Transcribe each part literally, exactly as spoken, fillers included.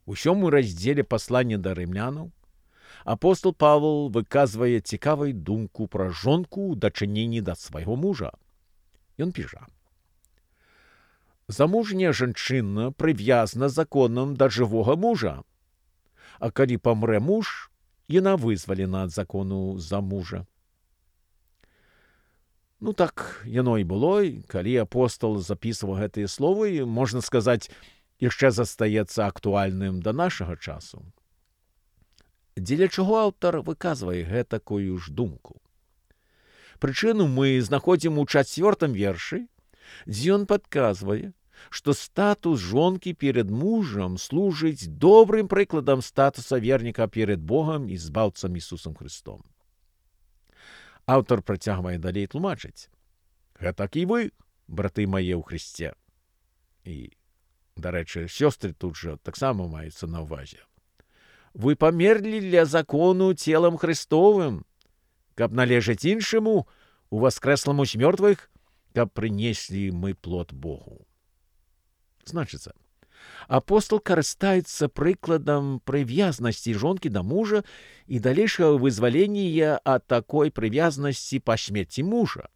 У сьомому раздзеле паслання да рымлянаў апостол Павел выказвае цікавую думку пра жонку ў дачыненні да свайго мужа. Ён піша: «Замужняя жанчына прывязана законам да жывога мужа, а калі памрэ муж, яна вызвалена ад закону за мужа». Ну так яно і было, і калі апостол запісваў гэтыя словы, можна сказаць, яшчэ застаецца актуальным да нашага часу. Дзеля чаго аўтар выказвае гэтакую ж думку? Прычыну мы знаходзім у чацвёртым вершы, дзе ён падказвае, што статус жонкі перад мужам служыць добрым прыкладам статуса верніка перад Богам і збаўцам Ісусам Христом. Аўтар працягвае далей тлумачыць: «Гэтак і вы, браты мае ў Христе». І, дарэчы, сёстры тут жа таксама маюцца на ўвазе. «Вы памерлі для закону целам Христовым, каб належаць іншаму, у воскресламу з мёртвых, каб прынеслі мы плод Богу». Значыцца, апостол карыстаецца прыкладам прывязнасці жонкі да мужа і далейшага вызвалення ад такой прывязнасці па смерці мужа.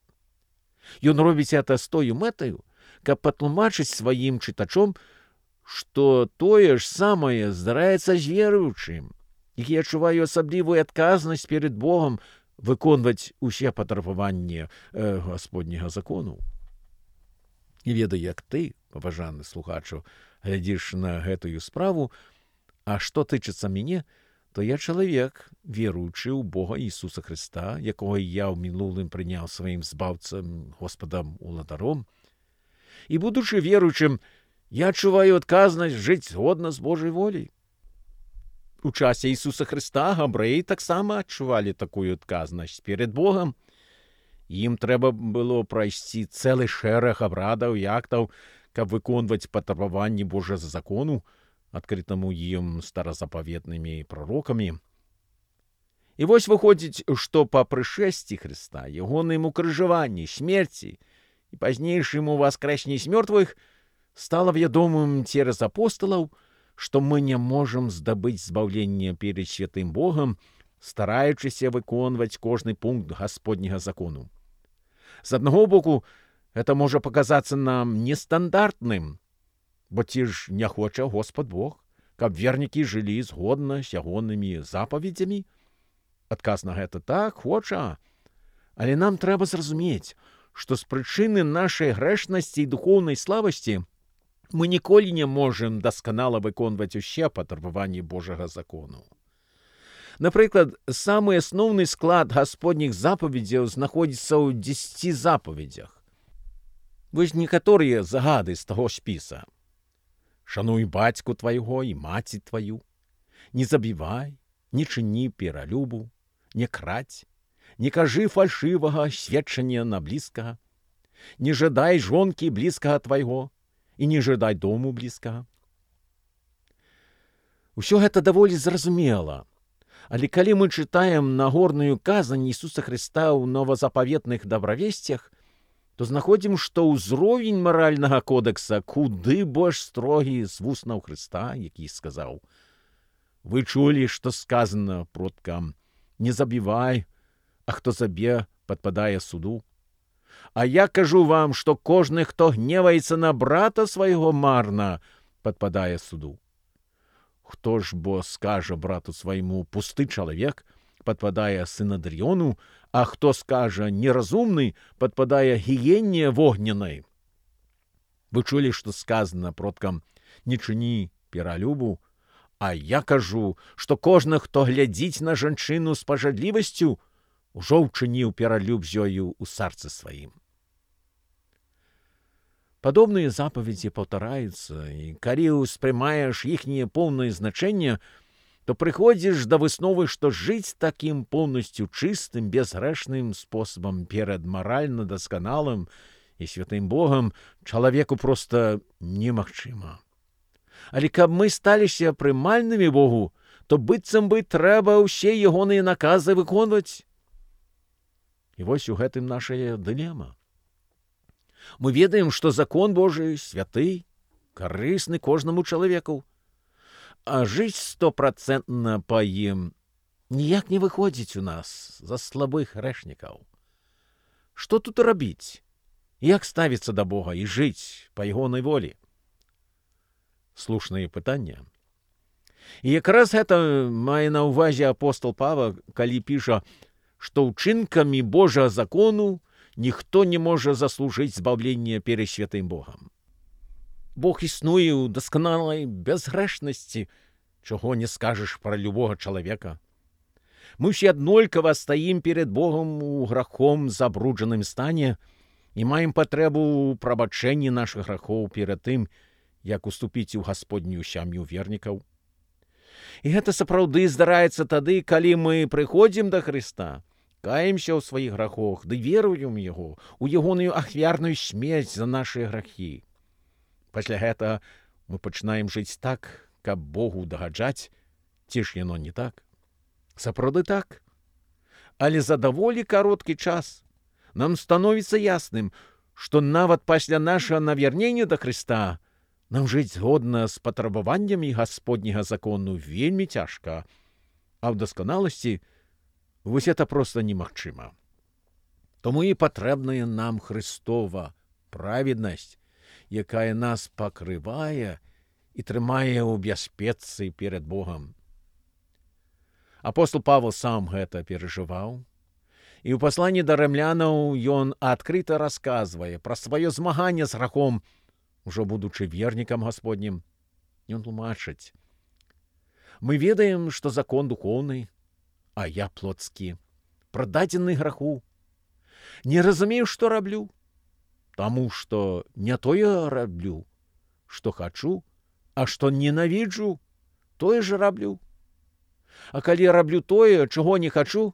Ён робіць гэта з тою мэтаю, каб патлумачыць сваім чытачом, што тое ж самае здараецца з веруючым, які адчувае асаблівую адказнасць перад Богом выконваць усе патрабаванні э, Гасподняга закону. Не ведаю, як ты, паважаны слухачу, глядзіш на гэтую справу, а што тычыцца мяне, то я чалавек, веруючы ў Бога Ісуса Христа, якога я ў мінулым прыняў сваім збаўцам, Господам уладаром. І будучы веруючым, я адчуваю адказнасць жыць згодна з Божай воляй. У часе Ісуса Христа габрэі таксама адчувалі такую адказнасць перад Богам. Ім трэба было прайсці цэлы шэраг абрадаў і актаў, каб выконваць патрабаванні Божага закону, адкрытаму ім старазапаветнымі прарокамі. І вось выходзіць, што па прышэсці Христа, ягоным укрыжаванні, смерці і пазнейшым уваскрэсні з мёртвых стала вядомым цераз апосталаў, што мы не можам здабыць збаўленне перад святым Богам, стараючыся выконваць кожны пункт Гасподняга закону. З аднаго боку, гэта можа паказацца нам нестандартным, бо ці ж не хоча Господ Бог, каб вернікі жылі згодна з ягонымі запаведзямі? Адказ на гэта так, хоча. Але нам трэба зразумець, што з прычыны нашай грэшнасці і духоўнай слабасці мы ніколі не можам дасканала выконваць усе патрабаванні Божага закону. Напрыклад, самы асноўны склад гасподніх запаведзяў знаходзіцца ў дзесяці запаведзях. Вось некаторыя загады з таго спіса. «Шануй бацьку твайго і маці тваю, не забівай, не чыні пералюбу, не краць, не кажы фальшывага сведчання на блізкага, не жадай жонкі блізкага твайго і не жадай дому блізкага». Усё гэта даволі зразумела. Але калі мы чытаем нагорную казань Ісуса Христа ў новазапаветных добравесцях, то знаходзім, што ўзровень маральнага кодекса куды больш строгі з вуснаў Христа, які сказаў: «Вы чулі, што сказано продкам: не забівай, а хто заб'е, падпадае суду. А я кажу вам, што кожны, хто гневаецца на брата свайго марна, падпадае суду. Хто ж бо скажа брату свайму пусты чалавек, падпадае сынадрыёну, а хто скажа неразумны, падпадае гіенне вогненнай. Вы чулі, што сказано продкам: не чыні пералюбу, а я кажу, што кожны, хто глядзіць на жанчыну з пажадлівасцю, ужо ўчыніў пералюб з ёю ў сарцы сваім». Падобныя запаведзі паўтараюцца, і калі ўспрымаеш іхняе поўнае значэнне, то прыходзіш да высновы, што жыць такім поўнасцю чыстым, безгрэшным спосабам перад маральна дасканалым і святым Богам чалавеку проста немагчыма. Але каб мы сталіся прымальнымі Богу, то быццам бы трэба ўсе ягоныя наказы выконваць. І вось у гэтым нашая дылема. Мы ведаем, што закон Божы святы, карысны кожнаму чалавеку. А жыць стопрацэнтна па ім ніяк не выходзіць у нас за слабых грэшнікаў. Што тут рабіць? Як ставіцца да Бога і жыць па ягонай волі? Слушнае пытанне. І якраз гэта мае на ўвазе апостол Павел, калі піша, што ўчынкамі Божага закону ніхто не можа заслужыць збаўленне перад святым Богам. Бог існуе ў дасканалай бязгрэшнасці, чаго не скажаш пра любога чалавека. Мы ўсе аднолькава стаім перед Богом у грахом забруджаным стане і маем патрэбу ў прабачэнні нашых грахоў перад тым, як уступіць у Гасподнюю сям'ю вернікаў. І гэта сапраўды здараецца тады, калі мы прыходзім да Хрыста, каемся ў сваіх грахах, ды веруем Яго, у ягоную ахвярную смерць за нашыя грахі. Пасля гэтага мы пачынаем жыць так, каб Богу дагаджаць, ці ж яно не так? Сапраўды так. Але за даволі кароткі час нам становіцца ясным, што нават пасля нашага навярнення да Хрыста нам жыць згодна з патрабаваннямі Гасподняга закону вельмі цяжка, а ў дасканаласці вось гэта проста немагчыма. Таму і патрэбная нам Хрыстова праведнасць, якая нас пакрывае і трымае ў бяспецы перад Богам. Апостол Павел сам гэта перажываў, і ў пасланні да рымлянаў ён адкрыта расказвае пра сваё змаганне з грахом, ужо будучы вернікам Гасподнім. Ён тлумачыць: мы ведаем, што закон духоўны, а я плотскі, прададзены граху. Не разумею, што раблю, таму што не тое раблю, што хачу, а што ненавіджу, тое ж раблю. А калі раблю тое, чаго не хачу,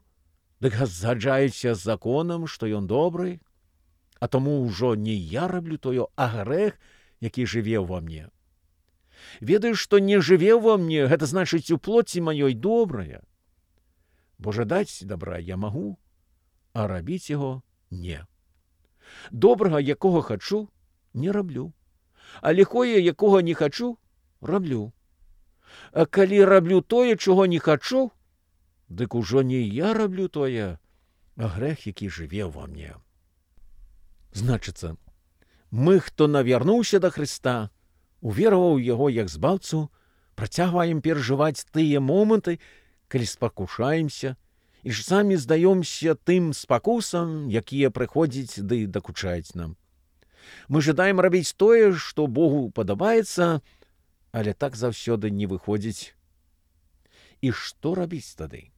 дык згаджаюся з законам, што ён добры, а таму ўжо не я раблю тое, а грэх, які жыве ўва мне. Ведаю, што не жыве ўва мне, гэта значыць у плоці маёй добрая. Бо жадаць добра я магу, а рабіць яго не. Добрага, якога хачу, не раблю, а ліхое, якога не хачу, раблю. А калі раблю тое, чаго не хачу, дык ужо не я раблю тое, а грэх, які жыве ўва мне. Значыцца, мы, хто навярнуўся да Хрыста, увераваў Яго як збаўцу, працягваем перажываць тыя моманты, калі спакушаемся, і ж самі здаёмся тым спакусам, якія прыходзяць ды дакучаюць нам. Мы жадаем рабіць тое, што Богу падабаецца, але так заўсёды не выходзіць. І што рабіць тады?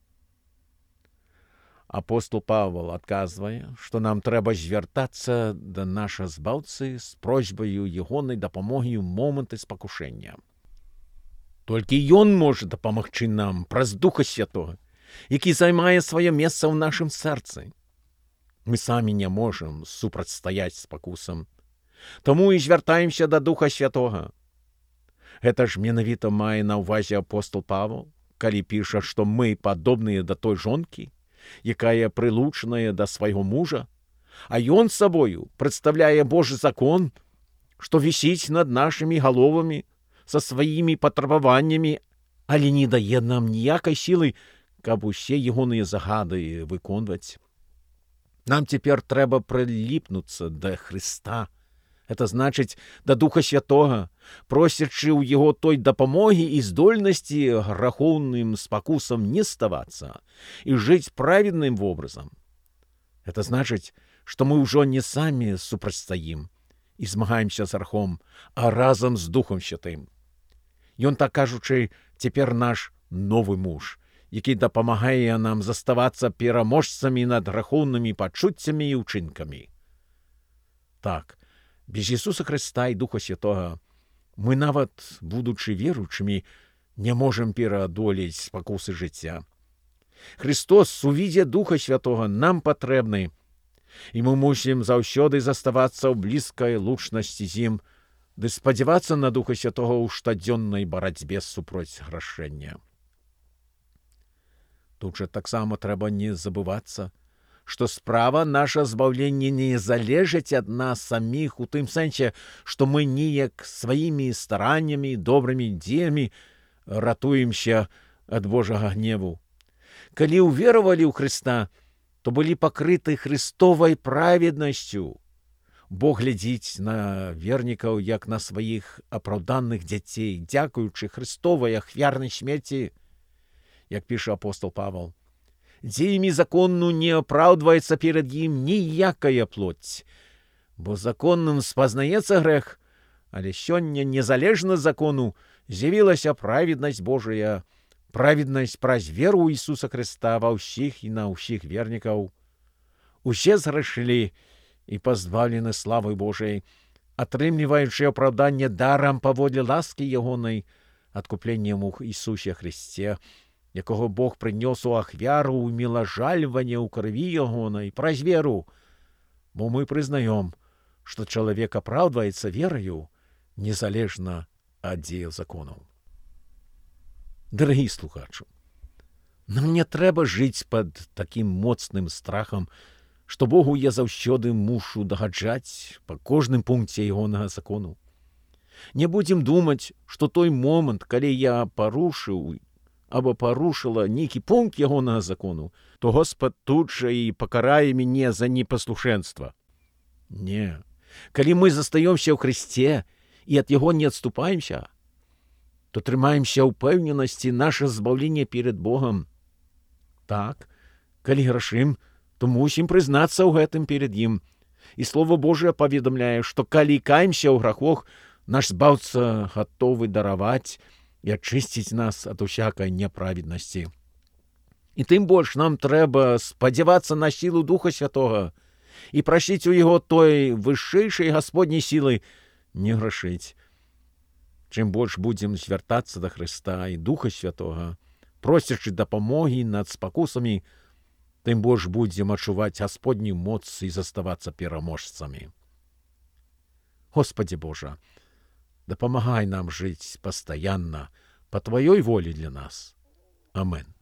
Апостол Павел адказвае, што нам трэба звяртацца да наша збаўцы з просьбаю ягонай дапамогі ў моманты спакушэння. Толькі ён можа дапамагчы нам праз Духа Святога, які займае сваё месца ў нашым сэрцы. Мы самі не можам супрацьстаяць спакусам, таму і звяртаемся да Духа Святога. Гэта ж менавіта мае на ўвазе апостол Павел, калі піша, што мы падобныя да той жонкі, якая прылучаная да свайго мужа, а ён сабою прадстаўляе Божы закон, што вісіць над нашымі галовамі са сваімі патрабаваннямі, але не дае нам ніякай сілы, каб усе ягоныя загады выконваць. Нам цяпер трэба прыліпнуцца да Хрыста, гэта значыць да Духа Святога, просячы ў Яго той дапамогі і здольнасці грахоўным спакусам не ставацца і жыць праведным вобразам. Гэта значыць, што мы ўжо не самі супрацьстаім і змагаемся з грахом, а разам з Духом Святым. Ён, так кажучы, цяпер наш новы муж, які дапамагае нам заставацца пераможцамі над грахоўнымі пачуццямі і ўчынкамі. Так, без Ісуса Хрыста і Духа Святога мы нават, будучы веруючымі, не можам пераадолець спакусы жыцця. Христос у відзе Духа Святога нам патрэбны, і мы мусім заўсёды заставацца ў блізкай лучнасці з ім, ды спадзявацца на Духа Святога ў штодзённай барацьбе супроць грашэння. Тут жа таксама трэба не забывацца, што справа наша збаўлення не залежыць ад нас саміх у тым сэнсе, што мы неяк сваімі стараннямі, добрымі дзеямі ратуемся ад Божага гневу. Калі ўверавалі ў Хрыста, то былі пакрыты Христовай праведнасцю. Бог глядзіць на вернікаў, як на сваіх апраўданых дзяцей, дзякуючы Христовай ахвярнай смерці, як піша апостол Павел. Дзеямі закону не апраўдваецца перад ім ніякая плоть, бо законным спазнаецца грэх, але сёння, незалежна закону, з'явілася праведнасць Божая, праведнасць праз веру ў Ісуса Христа ва ўсіх і на ўсіх вернікаў. Усе згрэшылі і пазбаўлены славы Божай, атрымліваючы апраўданне дарам паводле ласкі ягонай, адкупленнем у Ісусе Христе, якого Бог прынёс у ахвяру ў мілажальванне ў крыві ягонай праз веру, бо мы прызнаём, што чалавек апраўдваецца вераю, незалежна ад дзеяў законаў. Дарагі слухачу, нам не трэба жыць пад такім моцным страхам, што Богу я заўсёды мушу дагаджаць па кожным пункце ягонага закону. Не будзем думаць, што той момант, калі я парушыў або парушыла нейкі пункт ягонага закону, то Господ тут жа і пакарае мяне за непаслушэнства. Не. Калі мы застаёмся ў Христе і ад яго не адступаемся, то трымаемся ўпэўненасці наша збаўлення перед Богом. Так, калі грашым, то мусім прызнацца ў гэтым перед ім. І Слово Божие паведамляе, што калі каемся ў грахах, наш збаўца гатовы дараваць і ачысціць нас ад усякай няправеднасці. І тым больш нам трэба спадзявацца на сілу Духа Святога і прасіць у яго той вышэйшай Гасподняй сілы не грашыць. Чым больш будзем звяртацца да Хрыста і Духа Святога, просячы дапамогі над спакусамі, тым больш будзем адчуваць Гасподню моц і заставацца пераможцамі. Господи Божа, дапамагай нам жыць пастаянна па Тваёй волі для нас. Амен.